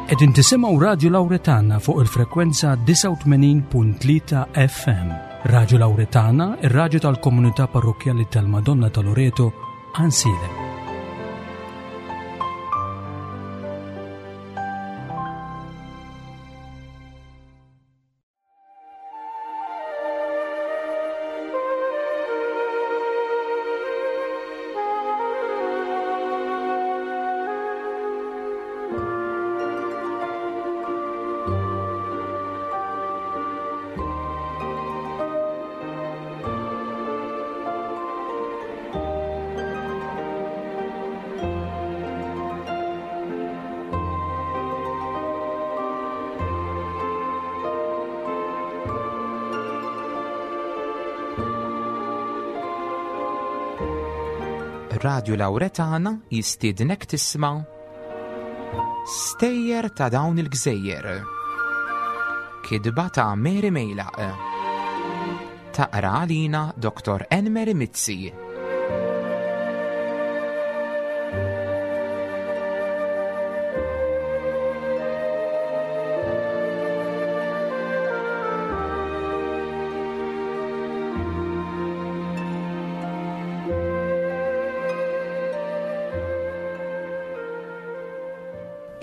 Qegħdin tisimgħu Radju Lawretana fuq il-frekwenza 89.3 FM. Radju Lawretana, ir-radju tal-komunità parrokkjali tal-Madonna ta' Loreto, Ansilem. Radio Lauretana jistiednek tisma' Stejjer ta' dawn il-gżejjer. Kidba ta' Mary Mejlaq. Taqra għalina Dr. Enmeri Mizzi.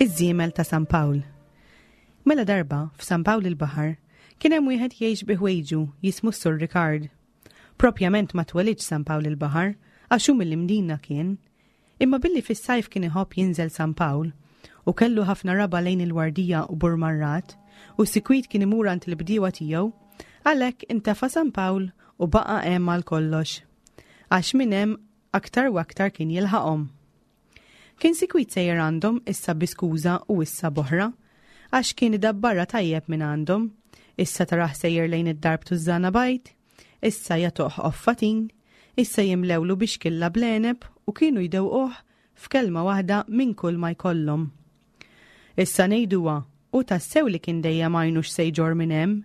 Iż-żiemel ta' San Pawl. Mela darba, f'San Pawl il-Baħar, kien hemm wieħed jgħix bi ħwejġu jismu s-Sur Ricard. Propjament ma twelidx San Pawl il-Baħar, għax hu mill-Imdina kien. Imma billi fis-sajf kien iħobb jinżel San Pawl, u kellu ħafna raba' lejn il-Wardija u Burmarrad, u sikwit kien imur għand il-bdiewa tiegħu, għalhekk intefa' San Pawl u baqa' hemm għal kollox. Għax minn hemm aktar u aktar kien jilħaqhom. Kien sikwit sejjer għandhom issa bi skuża u issa b'oħra, għax kien idabbarha tajjeb minn għandhom, issa tarah sejjer lejn id-dar b'tużżana bajd, issa jagħtuh qoffa tin, issa jimlewlu bixkilla bl-għeneb u kienu jdewquh f'kelma waħda minn kull ma jkollhom. Issa ngħiduha, hu tassew li kien dejjem għajnu x'se jġorr minn hemm,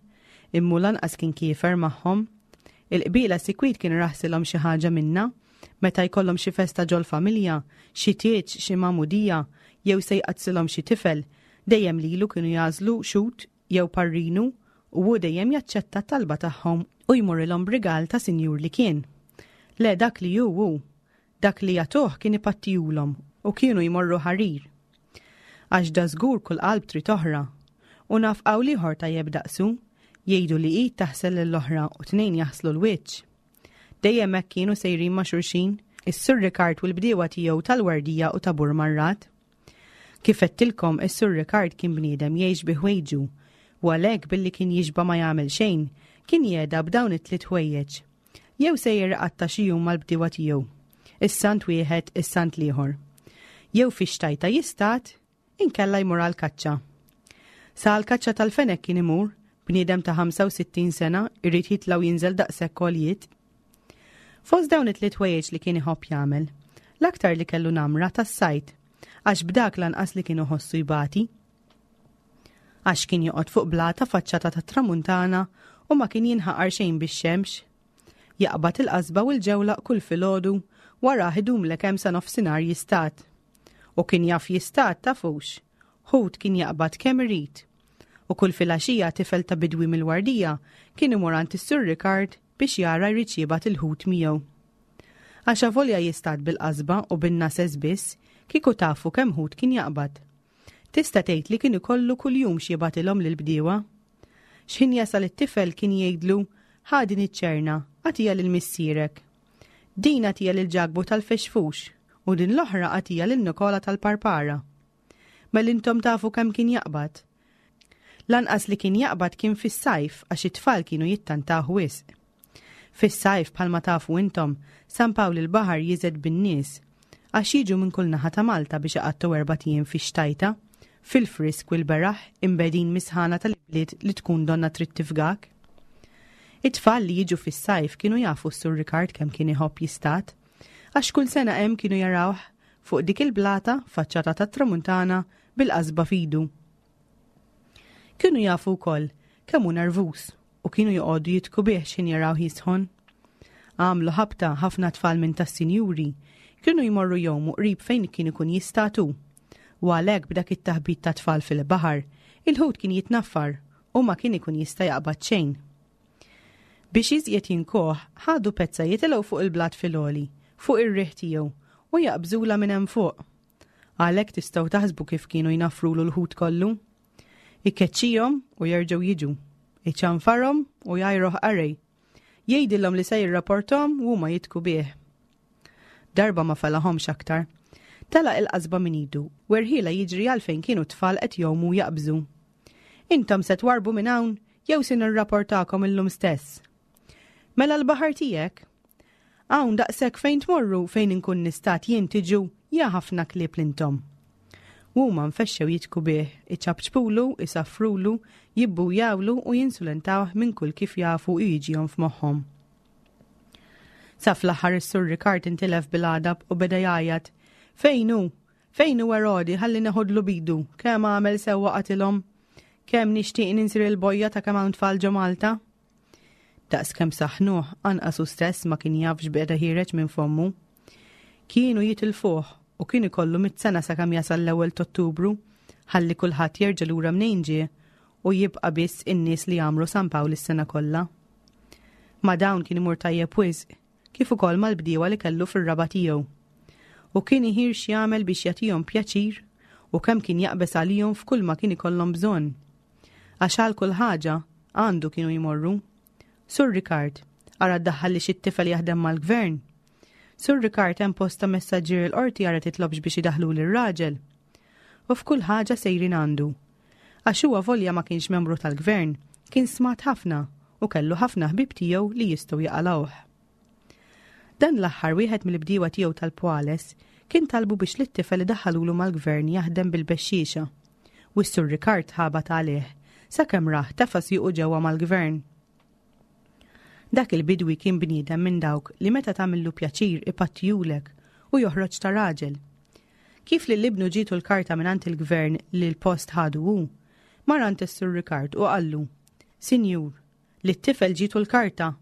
imma hu lanqas kien kiefer magħhom. Il-qbiela sikwit kien iraħsilhom xi ħaġa minnha, meta jkollhom xi festa ġol-familja, xi tieġ, xi magħmudija, jew se jqaddsilhom xi tifel, dejjem lilu kienu jagħżlu xhud jew parrinu u hu dejjem jaċċetta t-talba tagħhom u jmurrilhom b'rigal ta' sinjur li kien. Le dak li hu hu, Dak li jagħtuh kien ipattihulhom u kienu jmorru ħarir. Għax dażgur kull qalb trid oħra. U naf qawl ieħor tajjeb daqsu, jgħidu li id taħsel lill-oħra u tnejn jaħslu l-wiċċ. Dejjem hekk kienu sejrin ma' xulxin, is-Sur Rikard u l-bdiewa tiegħu tal-Wardija u ta' Burmarrad. Kif għedtilkom, is-Sur Rikard kien bniedem jgħix bi ħwejġu, u għalhekk billi kien jixba' ma jagħmel xejn, kien jehda b'dawn it-tliet ħwejjeġ. Jew sejjer iqatta' xi jum mal-bdiewa tiegħu, is-sant wieħed, is-sant l-ieħor. Jew fix-xtajta jistad, inkella jmur għall-kaċċa. Sa għall-kaċċa tal-fenek kien imur, bniedem ta' 65 sena irid jitla' u jinżel daqshekk għoljiet. Fost dawn it-tliet ħwejjeġ li kien iħobb jagħmel, l-aktar li kellu namra tas-sajd, għax b'dak lanqas li kien iħossu jbati. Għax kien joqgħod fuq blata faċċata tat-tramuntana u ma kien jinħaqar xejn bix-xemx. Jaqbad il-qasba u l-ġewlaq kull filgħodu warah idumlek hemm sa nofsinhar jistad. U kien jaf jistad tafux. Ħut kien jaqbad kemm irid. U kull filgħaxija tifel ta' bidwi mill-Wardija kien imur għand is-Sur Rikard biex jara jridx jibgħat il-ħut miegħu. Għax avolja jistad bil-qasba u bin-nases biss, kieku tafu kemm ħut kien jaqbad. Tista' tgħid li kien ikollu kuljum x'jibgħatilhom lill-bdiewa. X'ħin jasal it-tifel kien jgħidlu, Ħa din iċ-ċerna, agħtiha lil missierek. Din agħtiha lil Ġakbu tal-Fexfux u din l-oħra agħtiha lil Nikola tal-Parpara. Mela intom tafu kemm kien jaqbad. Lanqas li kien jaqbad kien fis-sajf għax it-tfal kienu jittantawh wisq. Fis-sajf, bħalma tafu intom, San Pawl il-Baħar jiżed bin-nies, għax jiġu minn kull naħa ta' Malta biex iqattgħu erbat ijiem fix-xtajta, fil-frisk u l-beraħ imbegħdin mis-sħana tal-ibliet li tkun donnha trid tifgak. It-tfal li jiġu fis-sajf kienu jafu s-Sur Rikard kemm kien iħobb jistad, għax kull sena hemm kienu jarawh fuq dik il-blata faċċata tat-tramuntana bil-qasba f'idu. Kienu jafu wkoll kemm hu nervuż u kienu joqogħdu jidhku bih x'ħin jarawh jisħon. Għamlu ħabta ħafna tfal minn tas-sinjuri kienu jmorru jgħumu qrib fejn kien ikun jistad hu. U għalhekk b'dak it-taħbit ta' tfal fil-baħar, il-ħut kien jitnaffar u ma kien ikun jista' jaqbad xejn. Biex iżjed jinkoh, ħadu pezza jitilgħu fuq il-blat fil-għoli, fuq ir-riħ tiegħu, u jaqbżula minn hemm fuq. Għalhekk tistgħu taħsbu kif kienu jnaffrulu l-ħut kollu. Ikeċċihom u jerġgħu jiġu. Iċanfarhom u jgħajruh qarej. Jgħidilhom li se jirrapporthom u huma jitku bih. Darba ma felaħomx aktar. Telaq il-qasba minn idu, werħila jiġri għal fejn kienu t-tfal qed jgħumu jaqbżu. Intom se twarbu minn hawn jew se nirrapportakom illum stess. Mela l-baħar tiegħek? Hawn daqshekk fejn tmorru fejn inkun nistat jien tiġu ja ħafna klieb l-intom. Huma nfexxew jidhku bih, iċapċpulu, isaffrulu, jibbujawlu u jinsulentawh minn kull kif jafu u jiġihom f'moħħhom. Sa fl-aħħar is-Sur Ricard intilef bil-għadab u beda jgħajjat, Fejn hu? Fejn hu Erodi ħalli neħodlu bidu, kemm għamel sewwa qatilhom? Kemm nixtieq ninsir il-bojja ta' kemm hawn tfal ġo Malta? Daqs kemm saħnuh, anqas hu stess ma kien jaf x'beda ħiereġ minn fommu. Kienu jitilfuh u kien ikollu mit-sena sakemm jasal l-ewwel t'Ottubru, ħalli kulħadd jerġa' lura mnejn ġie u jibqa' biss in-nies li jagħmru San Pawl is-sena kollha. Ma' dawn kien imur tajjeb wisq, kif ukoll mal-bdiewa li kellu fir-raba' tiegħu. U kien iħir x'jagħmel biex jagħtihom pjaċir u kemm kien jaqbeż għalihom f'kull ma kien ikollhom bżonn. Għax għal kull ħaġa, għandu kienu jmorru. Sur Ricard, ara ddaħħalli xi tifel jaħdem mal-gvern. Sur Ricard hemm post ta' messaġġier il-qorti ara titlobx biex idaħħlu lir-raġel. U f'kull ħaġa sejrin għandu. Għax huwa volja ma kienx membru tal-gvern, kien smat ħafna u kellu ħafna ħbieb tiegħu li jistgħu jaqalgħuh. Dan l-aħħar wieħed mill-bdiewa tiegħu tal-Pwales kien talbu biex lit-tifel idaħħalulu mal-gvern jaħdem bil-bexxiexa. U s-Sur Ricard ħabat għalih sakemm rah tefa' siequ ġewwa mal-gvern. Dak il-bidwi kien bniedem minn dawk li meta tagħmillu pjaċir ipattijulek u joħroġ ta' raġel. Kif lil ibnu ġietu l-karta mingħand il-gvern li l-post ħadu hu, mar għand is-Sur Ricard u qallu, Sinjur, lit-tifel ġietu l-karta,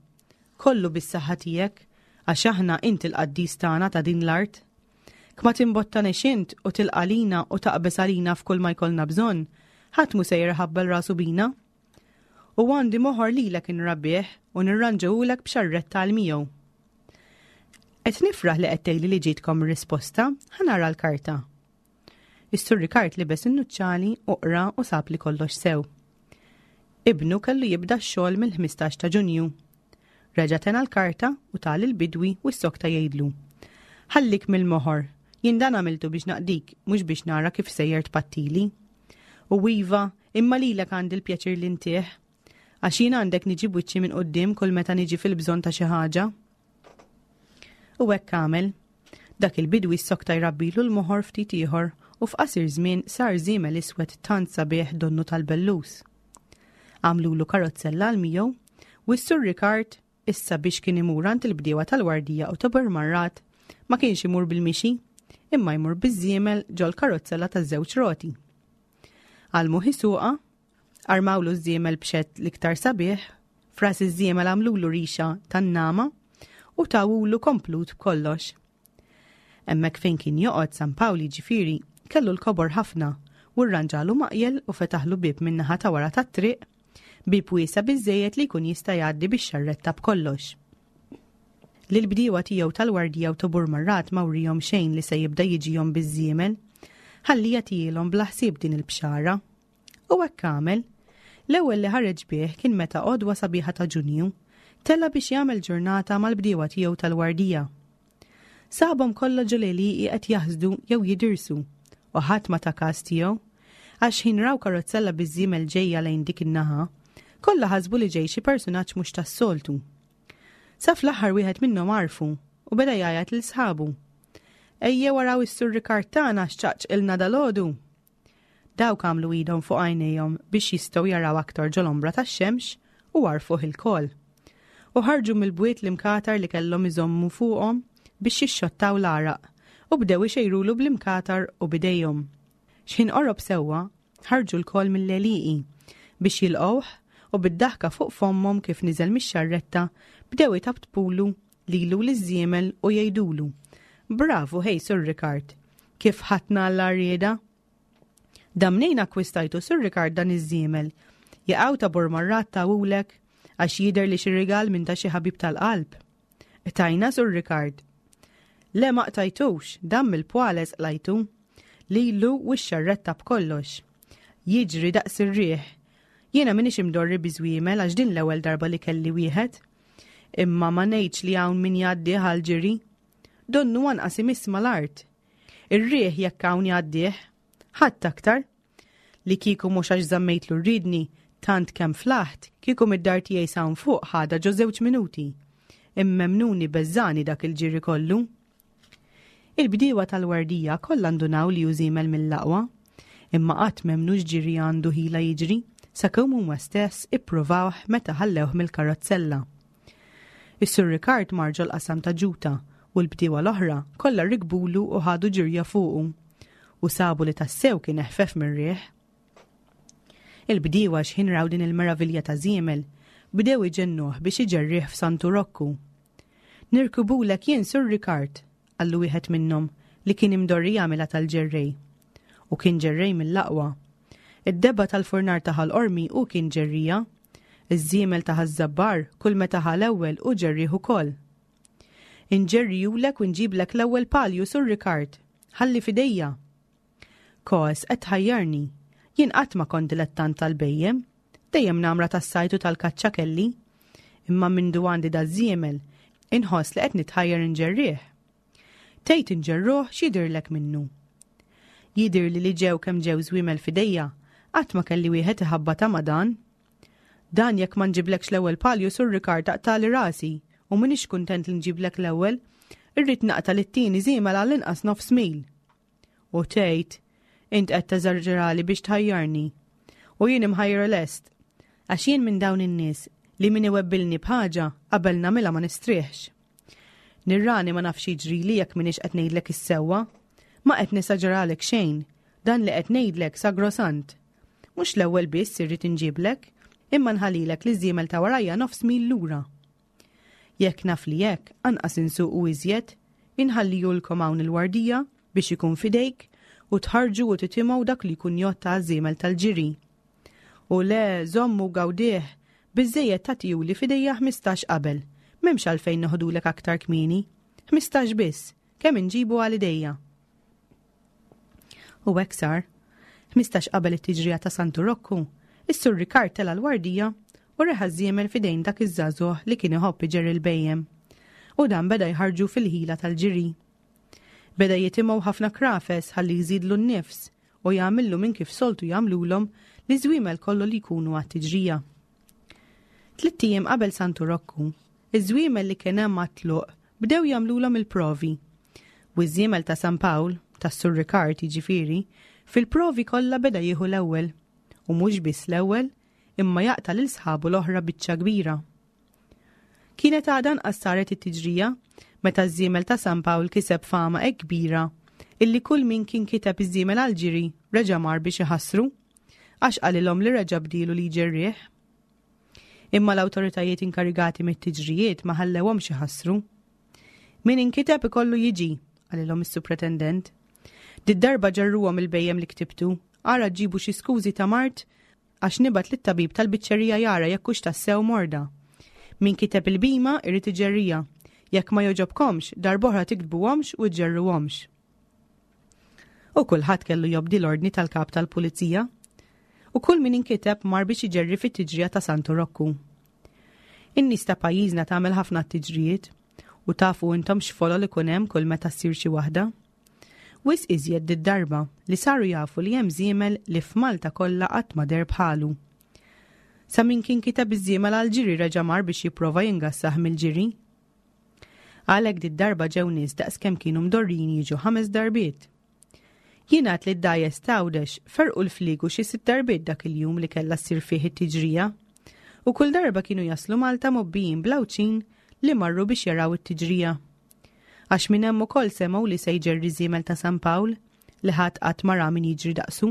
Kollu bis-saħħa tiegħek, għax aħna int il-qaddis tagħna ta' din l-art. Kma timbottanix int u tilqa' lina u taqbeż għalina f'kull ma jkollna bżonn, ħadd mhu sejjer iħabbel rasu bina. U għandi moħor lilek inrabbih u nirranġahulek b'xarretta għal miegħu. Qed nifraħ li qed tgħidli li ġietkom ir-risposta, ħa nara l-karta. Is-Sur Ricard libes in-nuċċali u qra u sab li kollox sew. Ibnu kellu jibda x-xogħol mill-15 ta' Ġunju. Reġa' tena l-karta u ta lill-bidwi u ssokta jgħidlu. Ħallik mill-moħor, jien dan għamiltu biex naqdik, mhux biex nara kif sejjer tpattili. U iva, imma lilek għandi l-pjaċir li ntih. Għax jien għandek niġi b'wiċċi minn quddiem kull meta niġi fil-bżonn ta' xi ħaġa. U hekk għamel. Dak il-bidwi ssokta jrabbilu l-moħor ftit ieħor u f'qasir żmien sar żiemel iswed tant sabiħ donnu tal-bellus. Għamlulu karozzella għal miegħu u s-Sur Ricard issa biex kien imur għand il-bdiewa tal-Wardija u ta' Burmarrat ma kienx imur bil-mixi imma jmur biż-żiemel ġol-karozzella taż-żewġ roti. Għallmuh isuqha Armawlu ż-żiemel b'xett l-iktar sabiħ, f'ras iż-żiemel għamlulu rixa tan-nagħma u tawulu komplut b'kollox. Hemmhekk fejn kien joqgħod San Pawl jiġifieri kellu l-kobor ħafna u rranġalu maqjel u fetaħlu bieb min-naħa ta' wara tat-triq, bieb wiesa' biżżejjed li jkun jista' jgħaddi bix-xarretta b'kollox. Lill-bdiewa tiegħu tal-Wardija u ta' Burmarrat ma wriehom xejn li se jibda jiġihom biż-żiemel, ħalli jagħtihielhom bla ħsieb din il-bxara. U hekk għamel. L-ewwel li ħareġ bih kien meta għodwa sabiħa ta' Ġunju, tela' biex jagħmel ġurnata mal-bdiewa tiegħu tal-Wardija. Sabhom kollha ġo l-għelieqi qed jaħsdu jew jidirsu, u ħadd ma ta kas tiegħu, għax x'ħin raw karozzella biż-żiemel ġejja lejn dik in-naħa, kollha ħasbu li ġej xi persunaġġ mhux tas-soltu. Sa fl-aħħar wieħed minnhom għarfu u beda jgħajjat lil sħabu. Ejjew araw is-Sur Rikard tagħna x'ċaqċqilna dalgħodu! Dawk għamlu idhom fuq għajnejhom biex jistgħu jaraw aktar ġol-ombra tax-xemx u għarfuh ilkoll. U ħarġu mill-bwiet l-imkatar li kellhom iżommu fuqhom biex jixxottaw l-għaraq u bdew ixejrulu bl-imkatar u b'idejhom. X'ħin qorob sewwa, ħarġu lkoll mill-għelieqi biex jilqgħuh u bid-daħka fuq fommhom kif niżel mix-xarretta bdew itaptpulu lilu u liż-żiemel u jgħidulu, Bravu ħej Sur Rikard! Kif ħadtna għall-għarrieda? Dan mnejn akkwistajtu Sur Rikard dan iż-żiemel? Jaqaw ta' Burmarrat tawulek għax jidher li xi rigal minn ta' xi ħabib tal-qalb. Qtajna Sur Rikard. Le ma qtajtux, dan mill-pwales qlajtu. Lilu u x-xarretta b'kollox. Jiġri daqs ir-riħ. Jiena m'iniex imdorri bi żwiemel għax din l-ewwel darba li kelli wieħed. Imma ma ngħidx li hawn min jgħaddih għall-ġiri. Donnu anqas imiss mal-art. Ir-riħ jekk hawn jgħaddih. Ħadd aktar. Li kieku mhux għax żammejtlu r-riedni tant kemm flaħt, kieku mid-dar tiegħi s'hawn fuq ħadha ġo żewġ minuti. Immemnuni beżżagħni dak il-ġiri kollu. Il-bdiewa tal-Wardija kollha ndunaw li hu żiemel mill-aqwa. Imma qatt m'emmnu x'ġiri għandu ħila jiġri, sakemm huma stess ippruvawh meta ħallewh mill-karozzella. Is-Sur Rikard mar ġol-qasam ta' Ġuta u l-bdiewa l-oħra kollha rikbulu u ħadu ġirja fuqu. U sabu li tassew kien eħfef mir-riħ. Il-bdiewa x'ħin raw din il-meravilja ta' żiemel, bdew iġennuh biex iġerrih f'Santu Rokku. Nirkubulek jien Sur Rikard, qallu wieħed minnhom li kien imdorri jagħmilha tal-ġerrej. U kien ġerrej mill-aqwa. Id-debba tal-furnar ta' Ħal Qormi hu kien ġerrija. Iż-żiemel ta' Ħaż-Żabbar kull meta ħa l-ewwel hu ġerrieh ukoll. Inġerrijulek u nġiblek l-ewwel palju Sur Rikard. Ħalli f'idejja. Kos, qed tħajjarni. Jien qatt ma kont dilettant tal-bhejjem. Dejjem namra tas-sajd u tal-kaċċa kelli. Imma mindu għandi daż-żiemel, inħoss li qed nitħajjar inġerrih. Tgħid inġerruh x'jidhirlek minnu? Jidhirli li ġew kemm ġew żwiemel f'idejja, qatt ma kelli wieħed iħabbatha ma' dan. Dan jekk ma nġiblekx l-ewwel palju Sur Rikard taqtagħli rasi u m'iniex kuntent li nġiblek l-ewwel, irrid naqta' lit-tieni żiemel għall-inqas nofs mil. U tgħid, int qed teżaġerali biex tħajjarni. U jien imħajra lest. Għax jien minn dawn in-nies li min iwebbilni b'ħaġa qabel nagħmilha ma nistrieħx. Nirrani ma nafx jiġrili jekk m'iniex qed ngħidlek is-sewwa. Ma qed nesaġeralek xejn, dan li qed ngħidlek sagrosant. Mhux l-ewwel biss irrid inġiblek, imma nħallilek li żiemel ta' warajja nofs mil lura. Jekk naf li hekk, anqas insuqu iżjed, inħallihulkom hawn il-Wardija biex ikun f'idejk u tħarrġu u titimgħu dak li jkun jgħodd għaż-żiemel tal-ġiri. U le, żommu gawdih, biżżejjed tagħtihuli f'idejja 15 qabel, m'hemmx għalfejn noħdulek aktar kmieni. 15 biss, kemm inġibu għal idejja. U hekk sar. 15 qabel it-tiġrija ta' Santu Rokku, is-Sur Rikard tela' l-wardija u reħa żiemel f'idejn dak iż-żagħżugħ li kien iħobb iġerri l-bhejjem. U dan beda jħarrġu fil-ħila tal-ġiri. Beda jitimgħu ħafna krafes ħalli jżidlu n-nifs u jagħmillu minn kif soltu jagħmlulhom li żwiemel kollu li jkunu għat-tiġrija. Tlitt ijiem qabel Santu Rokku, iż-żwiemel li kien hemm għat-tluq bdew jagħmlulhom il-provi. U ż-żiemel ta' San Pawl, tas-Sur Rikard jiġifieri, fil-provi kollha beda jieħu l-ewwel. U mhux biss l-ewwel, imma jaqta' lil sħabu l-oħra biċċa kbira. Kienet għadha anqas saret it-tiġrija meta ż-żiemel ta' San Pawl kiseb fama hekk kbira illi kull min kien kiteb iż-żiemel għall-ġiri reġa' mar biex iħassru għax qalilhom li reġa' bdielu li jġerrih. Imma l-awtoritajiet inkarigati mit-tiġrijiet ma ħallewhomx iħassru. Min inkiteb ikollu jiġi, qalilhom is-supretendent. Did-darba ġerruhom il-bhejjem li ktibtu, ara ġġibu xi skużi ta' mard għax nibgħat lit-tabib tal-biċċerija jara jekk hux tassew morda. Min kiteb il-bhima irid iġerriha. Jekk ma jogħġobkomx, darb'oħra tiktbuhomx u ġġerruhomx. U kulħadd kellu jobdi l-ordni tal-kap tal-pulizija. U kull min inkiteb mar biex iġerri fit-tiġrija ta' Santu Rokku. In-nies ta' pajjiżna tagħmel ħafna tiġrijiet u tafu intom x'folol ikun hemm kull meta ssir xi waħda. Wisq iżjed did-darba li saru jafu li hemm żiemel li f'Malta kollha qatt ma deher bħalu. Sa min kien kiteb iż-żiemel għall-ġiri reġa' mar biex jipprova jingassah mill-ġiri. Għalhekk did-darba ġew nies daqs kemm kienu mdorrijin jiġu ħames darbiet. Jingħad li d-dgħajjes t'Għawdex ferrqu l-fliegu xi sitt darbiet dak il-jum li kellha ssir fih it-tiġrija. U kull darba kienu jaslu Malta mgħobbijin bl-Għawdxin li marru biex jaraw it-tiġrija. Għax minn hemm ukoll semgħu li se jġerri żiemel ta' San Pawl li ħadd qatt ma ra min jiġri daqsu.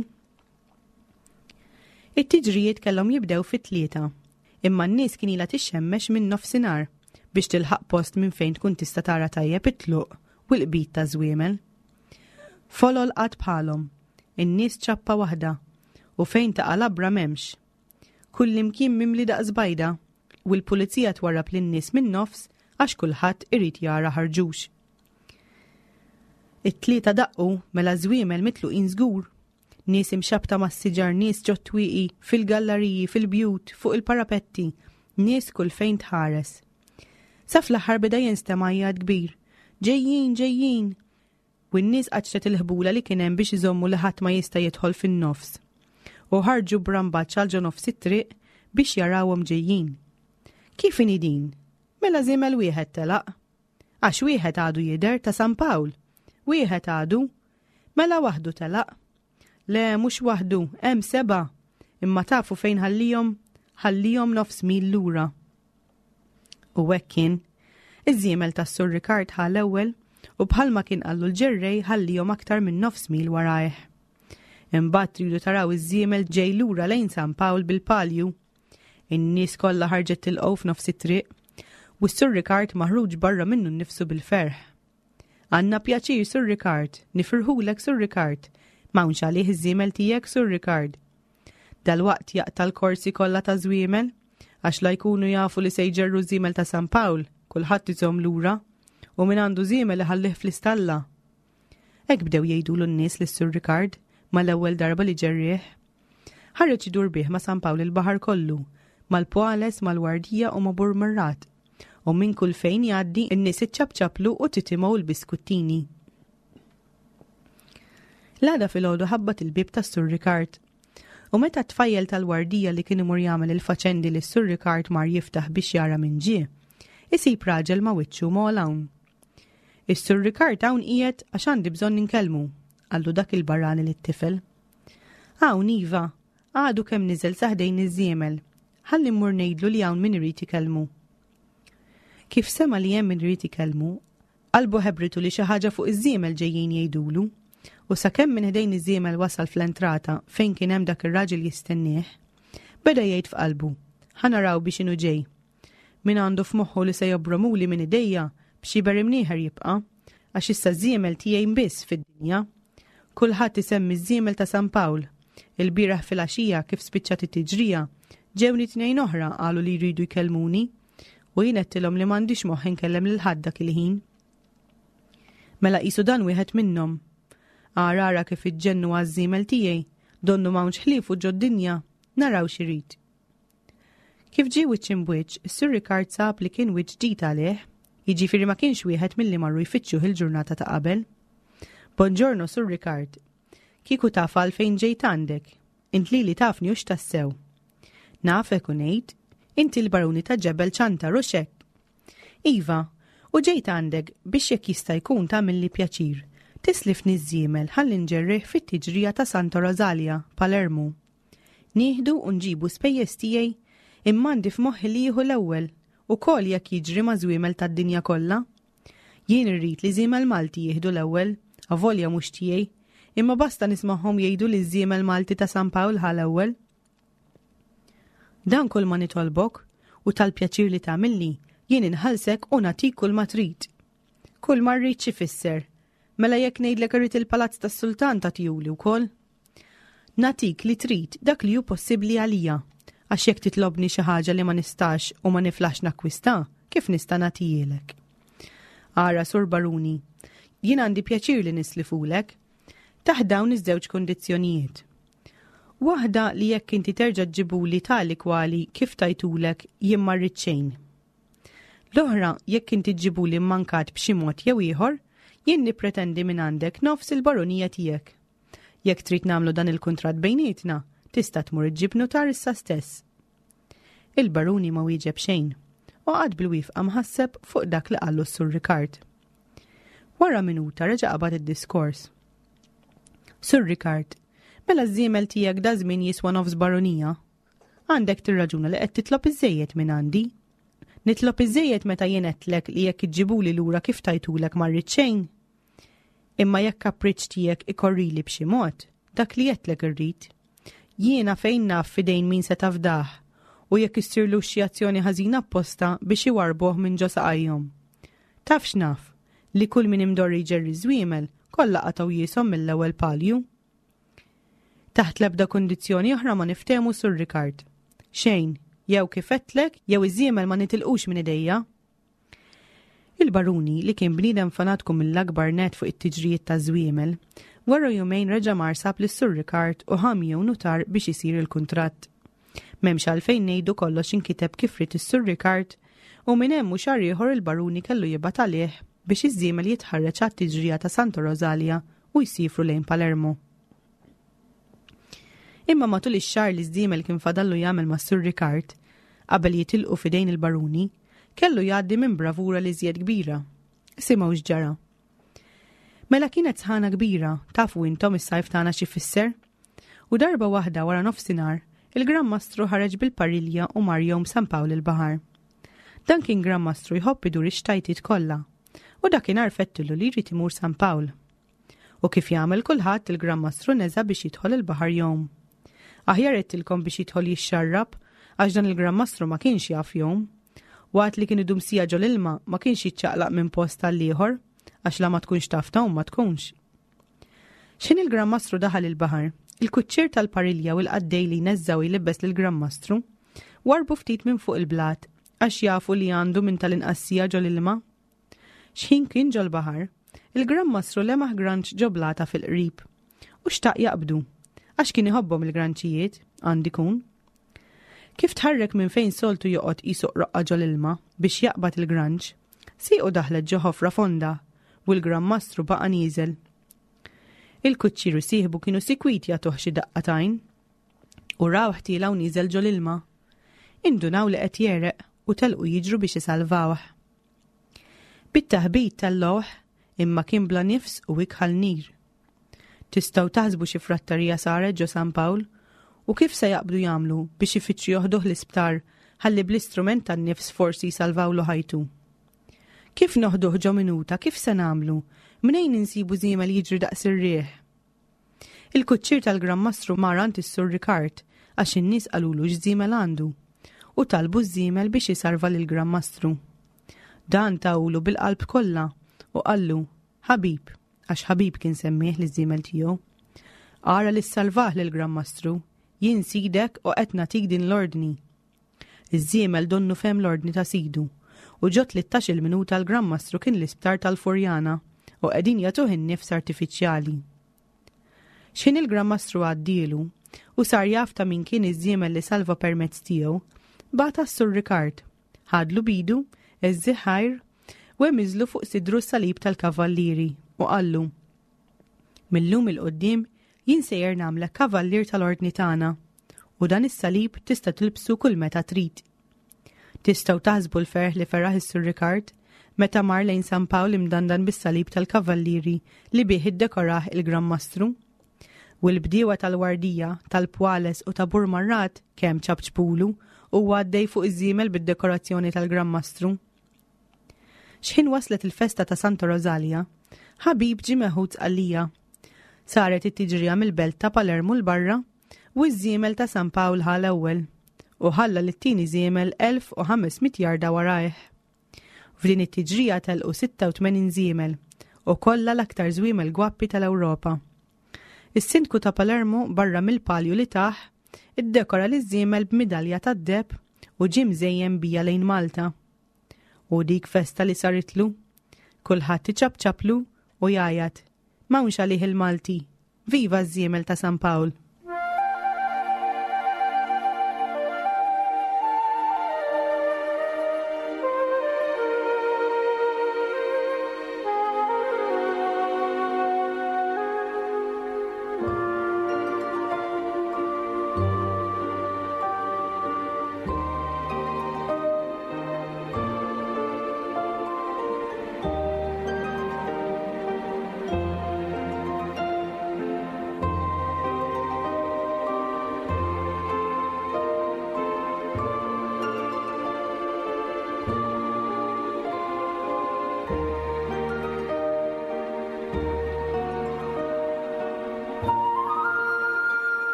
It-tiġrijiet kellhom jibdew fit-tlieta, imma n-nies kien ilha tixxemmex minn nofsinhar biex tilħaq post minn fejn tkun tista' tara tajjeb it-tluq u l-qbid ta' żwiemel. Folol qatt bħalhom. In-nies ċappa waħda. U fejn taqa' labra m'hemmx. Kullimkien mimli daqs bajda u l-pulizija twarrab lin-nies min-nofs għax kulħadd irid jara ħarġux. It-tlieta daqqu mela żwiemel mitluqin żgur. Nies imxabbta mas-siġar, nies ġot-twieqi, fil-gallariji, fil-bjut, fuq il-parapetti, nies kull fejn tħares. Sa fl-aħħar beda jinstema' għajjat kbir. Ġejjin, ġejjin! U n-nies qaċċtet il-ħbula li kien hemm biex iżommu li ħadd ma jista' jidħol fin-nofs. U ħarġu b'rambaġġ għal ġo nofs it-triq biex jarawhom ġejjin. Kif inhi din? Mela żiemel wieħed telaq. Għax wieħed għadu jidher ta' San Pawl. Wieħed għadu. Mela waħdu telaq. Le, mhux waħdu, hemm sebgħa. Imma tafu fejn ħallihom? Ħallihom nofs mil lura. U hekk kien. Iż-żiemel tas-Sur Ricard ħa l-ewwel u bħalma kien qallu l-ġerrej ħallihom aktar minn nofs mil warajh. Imbagħad tridu taraw iż-żiemel ġej lura lejn San Pawl bil-palju. In-nies kollha ħarġet tilqgħu f'nofs it-triq u s-Sur Ricard maħruġ barra minnu nnifsu bil-ferħ. Għandna pjaċir, Sur Ricard, nifirħulek, Sur Ricard, m'hawnx għalih iż-żiemel tiegħek, Sur Ricard. Dalwaqt jaqta' l-korsi kollha ta' żwiemel, għax la jkunu jafu li se jġerru żiemel ta' San Pawl, kulħadd iżomm lura, u min għandu żiemel iħallih fl-istalla. Hekk bdew jgħidulu n-nies lis-Sur Ricard mal-ewwel darba li ġerrieh. Ħareġ idur bih ma' San Pawl il-baħar kollu, mal-Poales, mal-Wardija u ma' Burmarrat. U minn kull fejn jgħaddi, in-nies iċċapċaplu u titimgħu l-biskuttini. L-għada filgħodu ħabbat il-bieb tas-Sur Ricard. U meta t-tfajjel tal-wardija li kien imur jagħmel il-faċendi li s-Sur Ricard mar jiftaħ biex jara min ġie, isib raġel ma' wiċċu m'għol hawn. Is-Sur Ricard hawn qiegħed għax għandi bżonn inkellmu, qallu dak il-barrani lit-tifel. Hawn iva, għadu kemm niżel sa ħdejn iż-żiemel. Ħalli mmur ngħidlu li hawn min irid ikellmu. Kif sema' li hemm min irid ikellmu, qalbu ħebritu li xi ħaġa fuq iż-żiemel ġejjin jgħidulu, u sakemm minn ħdejn iż-żiemel wasal fl-entrata fejn kien hemm dak ir-raġel jistennieh, beda jgħid f'qalbu, ħa naraw biex inhu ġej. Min għandu f'moħħu li se jobromuli minn idejja, b'xiber imnieħer jibqa', għax issa ż-żiemel tiegħi biss fid-dinja. Kulħadd isemmi ż-żiemel ta' San Pawl. Il-bieraħ filgħaxija kif spiċċat it-tiġrija, ġewni tnejn oħra qalu li jridu jkellmuni u jien għedtilhom li m'għandix moħħ inkellem lil ħadd dak il-ħin. Mela qisu dan wieħed minnhom. Ara ara kif iġġennu għaż-żiemel tiegħi, donnu m'hawnx ħliefu ġod-dinja, naraw x'irid. Kif ġie wiċċ imb'wiċċ, is-Sur Ricard sab li kien wiċċ ġdid għalih, jiġifieri ma kienx wieħed milli marru jfittxuh il-ġurnata ta' qabel. Bonġorno, Sur Ricard. Kieku taf għalfejn ġejt għandek. Int lili tafni hux tassew. Nafek u ngħid, inti l-baruni ta' Ġebel Ċantar hux hekk? Iva, u ġejt għandek biex jekk jista' jkun tagħmilli pjaċir, tislifni ż-żiemel ħalli nġerrih fit-tiġrija ta' Santa Rosalia, Palermu. Nieħdu u nġibu spejjeż tiegħi, imma għandi f'moħħi li jieħu l-ewwel, ukoll jekk jiġri ma' żwiemel tad-dinja kollha. Jien irrid li żiemel Malti jieħdu l-ewwel, avolja mhux tiegħi, imma basta nismagħhom jgħidu li ż-żiemel Malti ta' San Pawl ħa l-ewwel. Dan kull ma nitolbok, u tal-pjaċir li tagħmilli, jien inħallsek u nagħtik kull ma trid. Kull ma rrid x'ifisser? Mela jekk ngħidlek irrid il-palazz tas-sultan tagħtihuli wkoll? Nagħtik li trid dak li hu possibbli għalija, għax jekk titlobni xi ħaġa li ma nistax u ma niflaħx nakkwista, kif nista' nagħtihielek? Ara, Sur Baruni, jien għandi pjaċir li nislifulek, taħt dawn iż-żewġ kundizzjonijiet. Waħda li jekk inti terġa' ġġibuli tali kwali kif tajtulek jien ma rrid xejn. L-oħra, jekk inti ġġibuli mmankat b'xi mod jew ieħor, jien nippretendi minn għandek nofs il-barunija tiegħek. Jekk trid nagħmlu dan il-kuntratt bejnietna, tista' tmur iġġib nutar issa stess. Il-baruni ma wieġeb xejn u qagħad bil-wifqa mħasseb fuq dak li qallu s-Sur Ricard. Wara minuta reġa' qabad id-diskors. Sur Ricard, mela ż-żiemel tiegħek da żmien jiswa nofs barunija. Għandek tirraġuna li qed titlob iżżejjed minn għandi. Nitlob iżżejjed meta jien għedtlek li jekk iġġibuli lura kif tajtulek ma rrid xejn. Imma jekk kapriċċ tiegħek ikorrili b'xi mod, dak li għedtlek irrid. Jiena fejn naf f'idejn min se tafdah u jekk issirlux xi azzjoni ħażina apposta biex iwarrbuh minn ġo saqajhom. Taf x'naf, li kull min imdorri jġerri ż-żwiemel, kollha qatgħu jieshom mill-ewwel palju. Taħt l-ebda kundizzjoni oħra ma niftehmu Sur Rikard. Xejn, jew kif għedtlek, jew iż-żiemel ma nitilqux minn idejja. Il-baruni, li kien bniedem fanatku mill-akbar nett fuq it-tiġrijiet taż-żwiemel, wara jumejn reġa' mar sab lis-Sur Rikard u ħa miegħu nutar biex isir il-kuntratt. M'hemmx għalfejn ngħidu kollox inkiteb kif ried is-Sur Rikard u minn hemm u xahar ieħor il-baruni kellu jibgħat għalih biex iż-żiemel jitħarreġ għat-tiġrija ta' Santa Rosalia u jsiefru lejn Palermo. Imma matul ix-xahar li ż-żiemel kien fadallu jagħmel mas-Sur Rikard, qabel jitilqu f'idejn il-baruni, kellu jgħaddi minn bravura li żjed kbira. Simgħu x'ġara. Mela kienet sħana kbira, tafu intom is-sajf tagħna x'ifisser? U darba waħda wara nofsinhar, il-Gran Mastru ħareġ bil-parilja u mar jgħum San Pawl il-Baħar. Dan kien Gran Mastru jħobb idur ix-xtajtiet kollha. U dakinhar fettilu li jrid imur San Pawl. U kif jagħmel kulħadd il-Gran Mastru neża' biex jidħol il-baħar jgħum. Aħjar għedtilkom biex jidħol jixxarrab, għax dan il-Gran Mastru ma kienx jaf jgħum. Waqt li kien idum siegħa ġol-ilma ma kienx jiċċaqlaq minn post għal ieħor, għax la ma tkunx taf tgħum ma tkunx. X'ħin il-Gran Mastru daħal il-baħar, il-kuċċier tal-parilja u l-qaddej li jneżża' u jlibbes lill-Gran Mastru warrbu ftit minn fuq il-blat għax jafu li għandu minn tal-inqas siegħa ġol-ilma. X'ħin kien ġol-baħar, il-Gran Mastru lemaħ granċ ġo blata fil-qrib u xtaq jaqbdu, għax kien iħobbhom il-granċijiet, għand ikun. Kif tħarrek minn fejn soltu joqgħod qisu qroqqa ġol-ilma biex jaqbad il-granċ, siequ daħlet ġo ħofra fonda u l-Gran Mastru baqa' nieżel. Il-kuċċier u sieħbu kienu sikwit jagħtuh xi daqqa t'għajn u rawh tiela' u nieżel ġol-ilma. Indunaw li qed jegħreq u telqu jiġru biex isalvawh. Bit-taħbit tal-lowħ imma kien bla nifs u ikħal nir. Tistgħu taħsbu xi frattarija saret ġo San Pawl u kif se jaqbdu jagħmlu biex ifittxu joħduh l-isptar ħalli bl-istrument tan-nifs forsi jsalvawlu ħajtu. Kif noħduh ġo minuta, kif se nagħmlu? Mnejn insibu żiemel jiġri daqs ir-riħ? Il-kuċċier tal-Gran Mastru mar għand is-Sur Rikard għax in-nies qalulu x'żiemel għandu u talbu ż-żiemel biex isarva lill-Gran Mastru. Dan tahulu bil-qalb kollha u qallu, Ħabib, għax Ħabib kien semmieh liż-żiemel tiegħu. Ara li ssalvah lill-Gran Mastru, jien sidek u qed nagħtik din l-ordni. Iż-żiemel donnu fehem l-ordni ta' sidu, u ġo tlittax-il minuta l-Gran Mastru kien l-isptar tal-Furjana u qegħdin jagħtuh in-nifs artifiċjali. X'ħin il-Gran Mastru għaddielu u sar jaf ta' min kien iż-żiemel li salva permezz tiegħu, bagħat għas-Sur Rikard, ħadlu b'idu, għeżżih ħajr, u hemiżlu fuq sidru s-salib tal-kavallieri u qallu, Mil-lum 'il quddiem jien sejjer nagħmlek kavallier tal-Ordni tagħna u dan is-salib tista' tilbsu kull meta trid. Tistgħu taħsbu l-ferħ li feraħ is-Sur Rikard meta mar lejn San Pawl imdandan bis-salib tal-kavallieri li bih iddekorah il-Gran Mastru. U l-bdiewa tal-Wardija, tal-Pwales u ta' Burmarrad kemm ċapċpulu huwa għaddej fuq iż-żiemel bid-dekorazzjoni tal-Gran Mastru. X'ħin waslet il-festa ta' Santa Rosalia, Ħabib ġie meħud Sqallija. Saret it-tiġrija mill-belt ta' Palermo 'l barra u ż-żiemel ta' San Pawl ħa l-ewwel u ħalla lit-tieni żiemel 1500 jarda warajh. F'din it-tiġrija telqu 86 żiemel u kollha l-aktar żwiemel gwappi tal-Ewropa. Is-sindku ta' Palermo barra mill-palju li tah, iddekora liż-żiemel b'midalja tad-deheb u ġie mżejjen bija lejn Malta. U dik festa li saritlu. Kulħadd iċapċaplu u jgħajjat, M'hawnx għalih il-Malti! Viva ż-żiemel ta' San Pawl!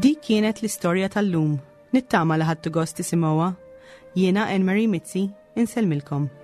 Dik kienet l-istorja tal-lum. Nittama li ħadtu gost tisimgħuha. Jiena Anne Marie Mizzi, insellmilkom.